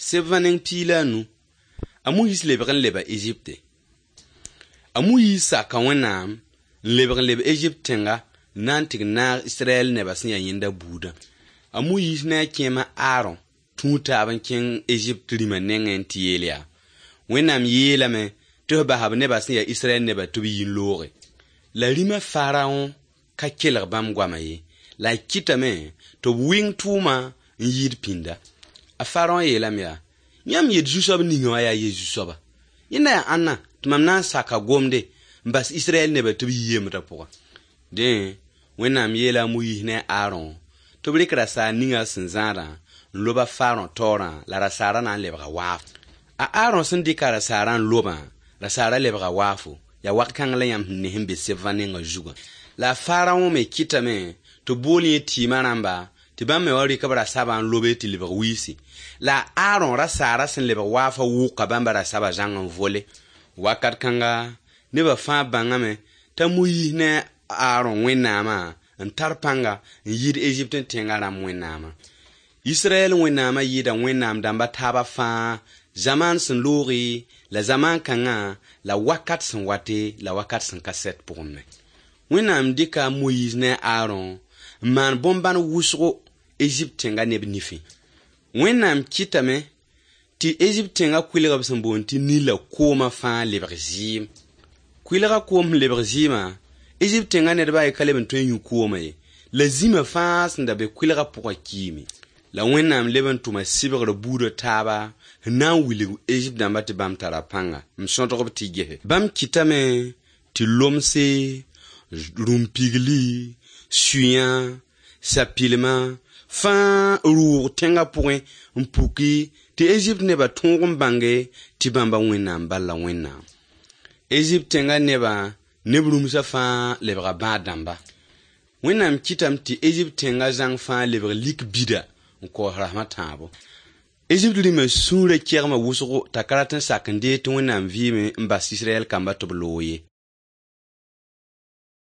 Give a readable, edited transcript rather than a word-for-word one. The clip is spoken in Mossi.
Sebã neng 15, a Moyiis lebg n leba Ezipte. A Moyiis saka Wẽnnaam n lebg n leb Ezipt tẽnga n na n tɩg naag Israɛl nebã sẽn yaa yẽnda buudã. A Moyiis ne a kẽema Aron tũu taab n kẽng Ezipt rĩmã nengẽ n tɩ yeel yaa: Wẽnnaam yeelame tɩ f basa b nebã sẽn yaa Israɛl nebã tɩ b yi n looge. La rĩmã Faraõ ka kelg bãmb goamã ye, la a kɩtame tɩ b wɩng tʋʋma n yɩɩd pĩnda. A Faraõ yeelame yaa: Yãmb yet zu-soab ninga wã yaa ye-zu-soaba. Yẽnda yaa ãnna tɩ mam na n saka gomde n bas Israɛl nebã tɩ b yi yembrã pʋga. Dẽ, Wẽnnaam yeela a Moyiis ne a Aron tɩ b rɩk rasaar ninga sẽn zãadã n lob a Faraõ taoorã la rasaarã na n lebga waaf. A Aron sẽn dɩka rasaarã n lobã, rasaarã lebga waafo, yaa wak-kãng la yãmb sẽn ne sẽn be sebã nengã zugã. La a Faraõ me kɩtame tɩ b bool yẽ tɩɩmã rãmba tɩ bãmb me wa rɩk b rasabã n lobe tɩ lebg wiisi. La a Aron rasaarã sẽn lebg waafã wʋka bãmba rasabã zãng n vole. Wakat kãnga, nebã fãa bãngame t'a Moyiis ne a Aron Wẽnnaamã n tar pãnga n yɩɩd Ezipt tẽngã rãmb Wẽnnaamã. Israɛl Wẽnnaamã yɩɩda Wẽnnaam dãmba taabã fãa zamaan sẽn looge la zamaan kãngã la wakat sẽn wate la wakat sẽn ka sɛt pʋgẽ me. Wẽnnaam dɩka a Moyiis ne a Aron n maan bõn-bãn wʋsgo Ezipt tẽnga neb nifẽ. Wẽnnaam kɩtame tɩ Ezipt tẽnga kʋɩlg b sẽn boond tɩ Nila koomã fãa lebg zɩɩm. Kʋɩlga koom sẽn lebg zɩɩmã, Ezipt tẽnga ned baa ka leb n tõe n yũ koomã ye. La zĩmã fãa sẽn da be kʋɩlgã pʋgã kiime. La Wẽnnaam leb n tʋma sɩbgr buudã taaba n na n wilg Ezipt dãmba tɩ bãmb tara pãnga n sõdg b tɩ gese. Bãmb kɩtame tɩ lomse, rũm-pigli, suyã, sapilmã fãa rʋʋg tẽngã pʋgẽ n puki tɩ Ezipt nebã tõog n bãnge tɩ bãmba Wẽnnaam bal la Wẽnnaam. Ezipt tẽngã nebã neb rũmsã fãa lebga bãad dãmba. Wẽnnaam kɩtame tɩ Ezipt tẽngã zãng fãa lebg lik bida n kaoos rasem a tãabo. Ezipt rĩmã sũurã kegma wʋsgo t'a ka rat n sak n deeg tɩ Wẽnnaam vɩɩme n bas Israɛl kamba tɩ b loog ye.